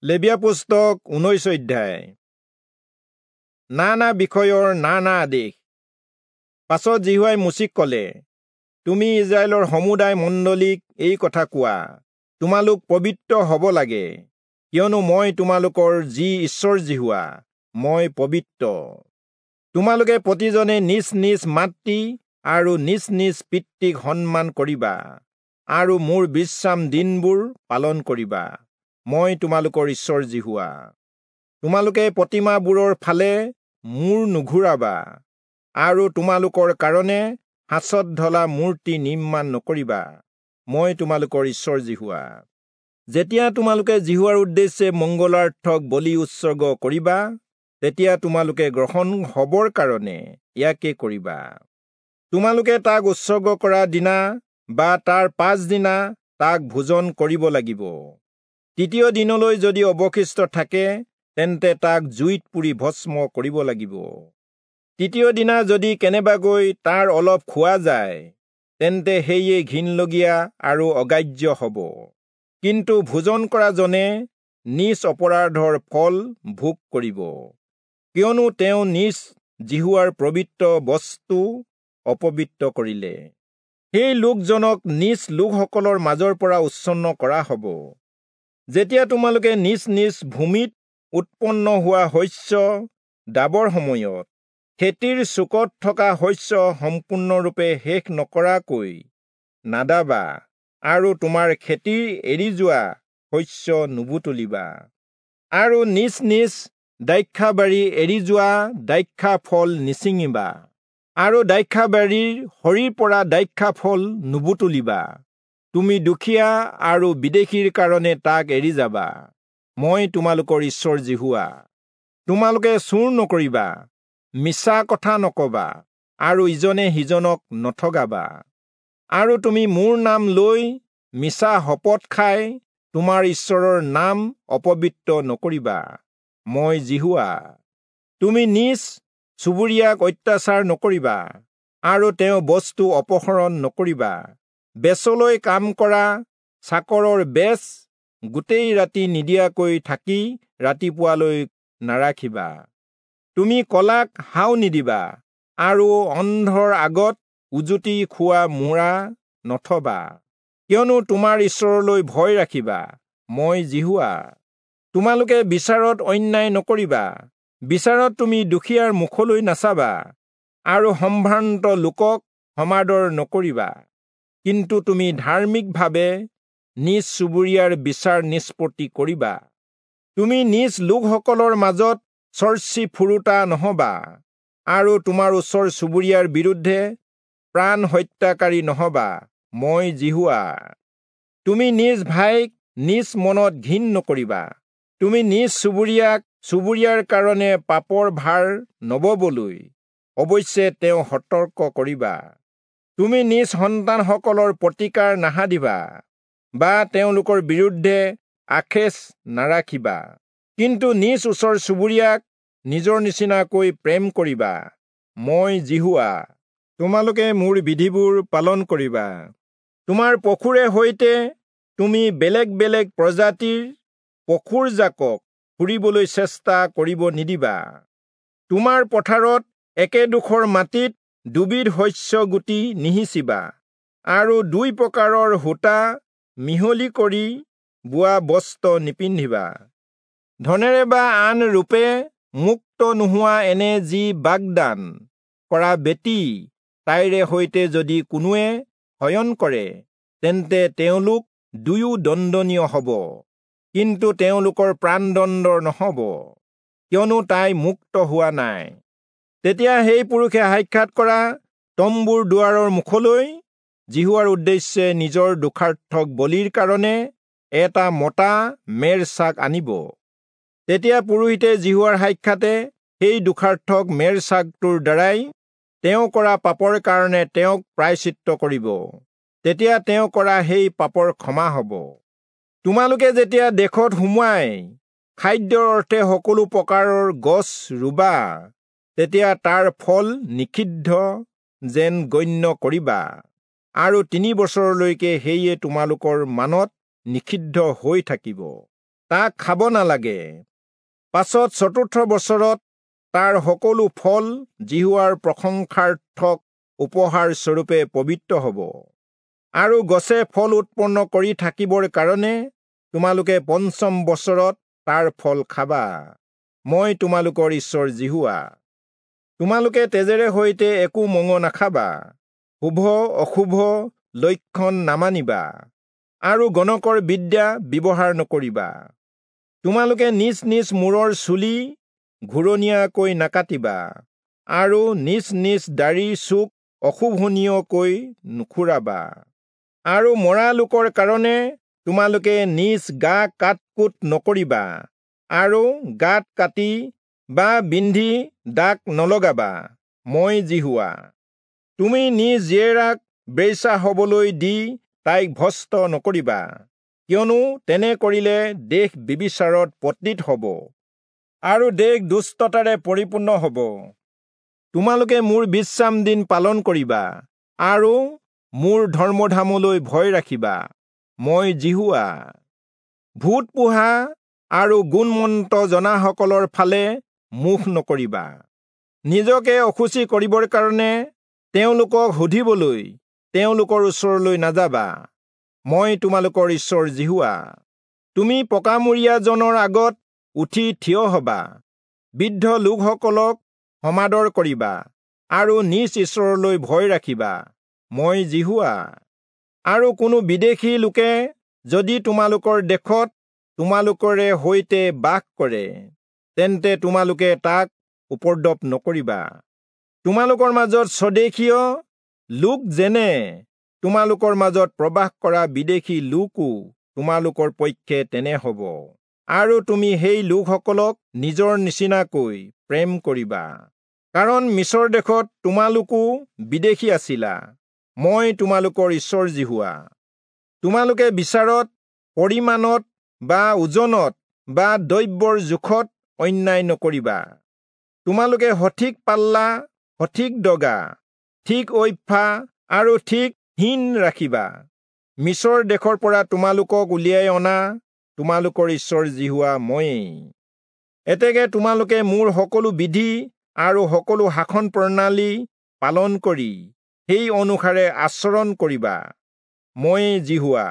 লেবীয়া পুস্তক 19 অধ্যায়। নানা বিষয়ৰ নানা আদেশ। পাছত যিহোৱাই মোচিক ক'লে, তুমি ইজৰাইলৰ সমুদায় মণ্ডলীক এই কথা কোৱা, তোমালোক পবিত্ৰ হ'ব লাগে, কিয়নো মই তোমালোকৰ যি ঈশ্বৰ যিহোৱা, মই পবিত্ৰ। তোমালোকে প্ৰতিজনে নিজ নিজ মাতৃ আৰু নিজ নিজ পিতৃক সন্মান কৰিবা আৰু মোৰ বিশ্ৰাম দিনবোৰ পালন কৰিবা। মই তোমালোকৰ ঈশ্বৰ যিহোৱা। তোমালোকে প্ৰতিমাবোৰৰ ফালে মূৰ নুঘূৰাবা আৰু তোমালোকৰ কাৰণে সাঁচত ঢলা মূৰ্তি নিৰ্মাণ নকৰিবা। মই তোমালোকৰ ঈশ্বৰ যিহোৱা। যেতিয়া তোমালোকে যিহোৱাৰ উদ্দেশ্যে মংগলাৰ্থক বলি উৎসৰ্গ কৰিবা, তেতিয়া তোমালোকে গ্ৰহণ হবৰ কাৰণে ইয়াকে কৰিবা। তোমালোকে তাক উৎসৰ্গ কৰা দিনা বা তাৰ পাছদিনা তাক ভোজন কৰিব লাগিব। তৃতীয় দিনলৈ যদি অৱশিষ্ট থাকে, তেন্তে তাক জুইত পুৰি ভস্ম কৰিব লাগিব। তৃতীয় দিনা যদি কেনেবাকৈ তাৰ অলপ খোৱা যায়, তেন্তে সেয়ে ঘিণলগীয়া আৰু অগ্ৰাহ্য হ'ব। কিন্তু ভোজন কৰাজনে নিজ অপৰাধৰ ফল ভোগ কৰিব, কিয়নো তেওঁ নিজ যিহোৱাৰ পবিত্ৰ বস্তু অপবিত্ৰ কৰিলে। সেই লোকজনক নিজ লোকসকলৰ মাজৰ পৰা উচ্ছন্ন কৰা হ'ব। যেতিয়া তোমালোকে নিজ নিজ ভূমিত উৎপন্ন হোৱা শস্য দাবৰ সময়ত খেতিৰ চুকত থকা শস্য সম্পূৰ্ণৰূপে শেষ নকৰাকৈ নাদাবা আৰু তোমাৰ খেতিৰ এৰি যোৱা শস্য নুবুটলিবা আৰু নিজ নিজ দ্ৰাক্ষাবাৰী এৰি যোৱা দ্ৰাক্ষা ফল নিছিঙিবা আৰু দ্ৰাক্ষাবাৰীৰ সৰিৰ পৰা দ্ৰাক্ষা ফল নুবুটলিবা। তুমি দুখীয়া আৰু বিদেশীৰ কাৰণে তাক এৰি যাবা। মই তোমালোকৰ ঈশ্বৰ যিহোৱা। তোমালোকে চুৰ নকৰিবা, মিছা কথা নকবা আৰু ইজনে সিজনক নঠগাবা। আৰু তুমি মোৰ নাম লৈ মিছা শপত খাই তোমাৰ ঈশ্বৰৰ নাম অপবিত্ৰ নকৰিবা। মই যিহোৱা। তুমি নিজ চুবুৰীয়াক অত্যাচাৰ নকৰিবা আৰু তেওঁ বস্তু অপহৰণ নকৰিবা। বেচলৈ কাম কৰা চাকৰৰ বেচ গোটেই ৰাতি নিদিয়াকৈ থাকি ৰাতিপুৱালৈ নাৰাখিবা। তুমি কলাক হাও নিদিবা আৰু অন্ধৰ আগত উজুতি খোৱা মূৰা নথবা, কিয়নো তোমাৰ ঈশ্বৰলৈ ভয় ৰাখিবা। মই যিহোৱা। তোমালোকে বিচাৰত অন্যায় নকৰিবা। বিচাৰত তুমি দুখীয়াৰ মুখলৈ নাচাবা আৰু সম্ভ্ৰান্ত লোকক সমাদৰ নকৰিবা। কিন্তু তুমি ধাৰ্মিকভাৱে নিজ চুবুৰীয়াৰ বিচাৰ নিষ্পত্তি কৰিবা। তুমি নিজ লোকসকলৰ মাজত চৰ্চি ফুৰোতা নহবা আৰু তোমাৰ ওচৰ চুবুৰীয়াৰ বিৰুদ্ধে প্ৰাণ হত্যাকাৰী নহবা। মই যিহোৱা। তুমি নিজ ভাইক নিজ মনত ঘিণ নকৰিবা। তুমি নিজ চুবুৰীয়াক চুবুৰীয়াৰ কাৰণে পাপৰ ভাৰ নববলৈ অৱশ্যে তেওঁ সতৰ্ক কৰিবা। তুমি নিজ সন্তানসকলৰ প্ৰতিকাৰ নাসাধিবা বা তেওঁলোকৰ বিৰুদ্ধে আখেজ নাৰাখিবা, কিন্তু নিজ ওচৰ চুবুৰীয়াক নিজৰ নিচিনাকৈ প্ৰেম কৰিবা। মই যিহোৱা। তোমালোকে মোৰ বিধিবোৰ পালন কৰিবা। তোমাৰ পশুৰে সৈতে তুমি বেলেগ বেলেগ প্ৰজাতিৰ পশুৰ জাকক ফুৰিবলৈ চেষ্টা কৰিব নিদিবা। তোমাৰ পথাৰত একেডোখৰ মাটিত দুবিধ শস্য গুটি নিসিঁচিবা আৰু দুই প্ৰকাৰৰ সূতা মিহলি কৰি বোৱা বস্ত্ৰ নিপিন্ধিবা। ধনেৰে বা আন ৰূপে মুক্ত নোহোৱা এনে যি বাগদান কৰা বেটী, তাইৰে সৈতে যদি কোনোৱে শয়ন কৰে, তেন্তে তেওঁলোক দুয়ো দণ্ডনীয় হ'ব, কিন্তু তেওঁলোকৰ প্ৰাণদণ্ড নহ'ব, কিয়নো তাই মুক্ত হোৱা নাই। তেতিয়া সেই পুৰুষে সাক্ষাৎ কৰা তম্বুৰ দুৱাৰৰ মুখলৈ যিহোৱাৰ উদ্দেশ্যে নিজৰ দোষাৰ্থক বলিৰ কাৰণে এটা মতা মেৰ ছাগ আনিব। তেতিয়া পুৰোহিতে যিহোৱাৰ সাক্ষাতে সেই দোষাৰ্থক মেৰ ছাগটোৰ দ্বাৰাই তেওঁ কৰা পাপৰ কাৰণে তেওঁক প্ৰায়শ্চিত্ত কৰিব। তেতিয়া তেওঁ কৰা সেই পাপৰ ক্ষমা হ'ব। তোমালোকে যেতিয়া দেশত সোমোৱাই খাদ্যৰ অৰ্থে সকলো প্ৰকাৰৰ গছ ৰুবা, তেতিয়া তাৰ ফল নিষিদ্ধ যেন গণ্য কৰিবা আৰু 3 বছৰলৈকে সেয়ে তোমালোকৰ মানত নিষিদ্ধ হৈ থাকিব। তাক খাব নালাগে। পাছত চতুৰ্থ বছৰত তাৰ সকলো ফল যিহোৱাৰ প্ৰশংসাৰ্থক উপহাৰ স্বৰূপে পবিত্ৰ হ'ব। আৰু গছে ফল উৎপন্ন কৰি থাকিবৰ কাৰণে তোমালোকে পঞ্চম বছৰত তাৰ ফল খাবা। মই তোমালোকৰ ঈশ্বৰ যিহোৱা। তোমালোকে তেজেৰে সৈতে একো মঙহ নাখাবা, শুভ অশুভ লক্ষণ নামানিবা, আৰু গণকৰ বিদ্যা ব্যৱহাৰ নকৰিবা। তোমালোকে নিজ নিজ মূৰৰ চুলি ঘূৰণীয়াকৈ নাকাটিবা, আৰু নিজ নিজ দাড়িৰ চুক অশোভনীয়কৈ নুখুৰাবা। আৰু মৰা লোকৰ কাৰণে তোমালোকে নিজ গা কাট-কুট নকৰিবা, আৰু গাত কাটি বা বিন্ধি দাগ নলগাবা। মই যিহোৱা। তুমি নিজ জীয়েৰাক বেশ্যা হবলৈ দি তাইক ভ্ৰষ্ট নকৰিবা, কিয়নো তেনে কৰিলে দেশ ব্যভিচাৰত পতিত হ'ব, আৰু দেশ দুষ্টতাৰে পৰিপূৰ্ণ হ'ব। তোমালোকে মোৰ বিশ্ৰাম দিন পালন কৰিবা, আৰু মোৰ ধৰ্মধামলৈ ভয় ৰাখিবা। মই যিহোৱা। ভূত পোহা আৰু গুণমন্ত জনাসকলৰ ফালে মুখ নকৰিবা। নিজকে অশুচি কৰিবৰ কাৰণে তেওঁলোকক সুধিবলৈ তেওঁলোকৰ ওচৰলৈ নাযাবা। মই তোমালোকৰ ঈশ্বৰ যিহোৱা। তুমি পকামূৰীয়াজনৰ আগত উঠি থিয় হবা, বৃদ্ধ লোকসকলক সমাদৰ কৰিবা, আৰু নিজ ঈশ্বৰলৈ ভয় ৰাখিবা। মই যিহোৱা। আৰু কোনো বিদেশী লোকে যদি তোমালোকৰ দেশত তোমালোকৰে সৈতে বাস কৰে, তেন্তে তোমালোকে তাক উপদ্ৰৱ নকৰিবা। তোমালোকৰ মাজত স্বদেশীয় লোক যেনে তোমালোকৰ মাজত প্ৰবাস কৰা বিদেশী লোকো তোমালোকৰ পক্ষে তেনে হ'ব, আৰু তুমি সেই লোকসকলক নিজৰ নিচিনাকৈ প্ৰেম কৰিবা, কাৰণ মিচৰ দেশত তোমালোকো বিদেশী আছিলা। মই তোমালোকৰ ঈশ্বৰ যিহোৱা। তোমালোকে বিচাৰত, পৰিমাণত বা ওজনত বা দ্ৰব্যৰ জোখত অন্যায় নকৰিবা। তোমালোকে সঠিক পাল্লা, সঠিক দগা, ঠিক ঐফা আৰু ঠিক হীন ৰাখিবা। মিচৰ দেশৰ পৰা তোমালোকক উলিয়াই অনা তোমালোকৰ ঈশ্বৰ যিহোৱা ময়েই। এতেকে তোমালোকে মোৰ সকলো বিধি আৰু সকলো শাসন প্ৰণালী পালন কৰি সেই অনুসাৰে আচৰণ কৰিবা। ময়েই যিহোৱা।